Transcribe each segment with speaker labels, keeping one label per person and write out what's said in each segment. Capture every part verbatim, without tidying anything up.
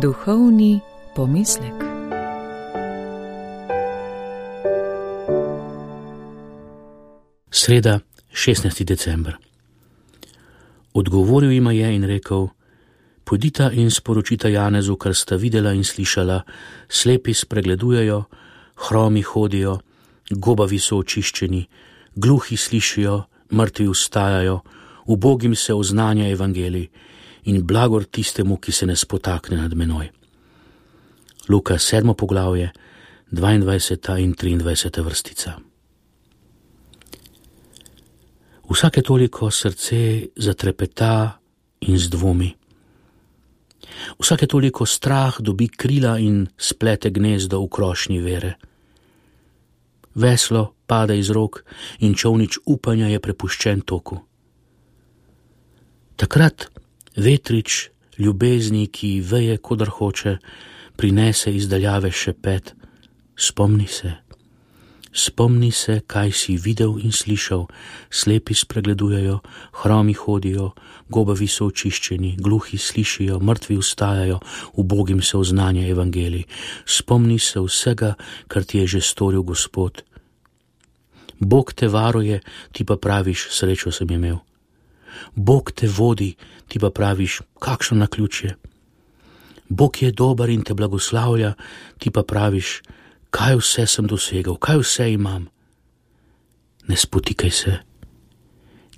Speaker 1: Duhovni pomislek.
Speaker 2: Sreda, šestnajsti december. Odgovoril jima je in rekel: Pojdita in sporočita Janezu, kar sta videla in slišala, slepi spregledujejo, hromi hodijo, gobavi so očiščeni, gluhi slišijo, mrtvi vstajajo, ubogim se oznanja evangelij in blagor tistemu, ki se ne spotakne nad menoj. Luka sedmo poglavje, dvaindvajseta in triindvajseta vrstica. Vsake toliko srce zatrepeta in zdvomi. Vsake toliko strah dobi krila in splete gnezdo v krošnji vere. Veslo pade iz rok in čolnič upanja je prepuščen toku. Takrat vetrič ljubezni, ki veje, kodar hoče, prinese iz daljave šepet: Spomni se, spomni se, kaj si videl in slišal, slepi spregledujejo, hromi hodijo, gobavi so očiščeni, gluhi slišijo, mrtvi vstajajo, ubogim se oznanja evangelij. Spomni se vsega, kar ti je že storil Gospod. Bog te varuje, ti pa praviš: srečo sem imel. Bog te vodi, ti pa praviš: kakšno naključje. Bog je dober in te blagoslavlja, ti pa praviš: kaj vse sem dosegel, kaj vse imam. Ne spotikaj se,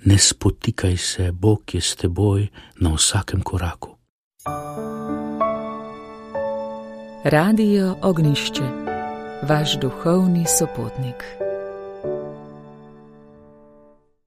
Speaker 2: ne spotikaj se, Bog je s teboj na vsakem koraku.
Speaker 1: Radio Ognjišče, vaš duhovni sopotnik.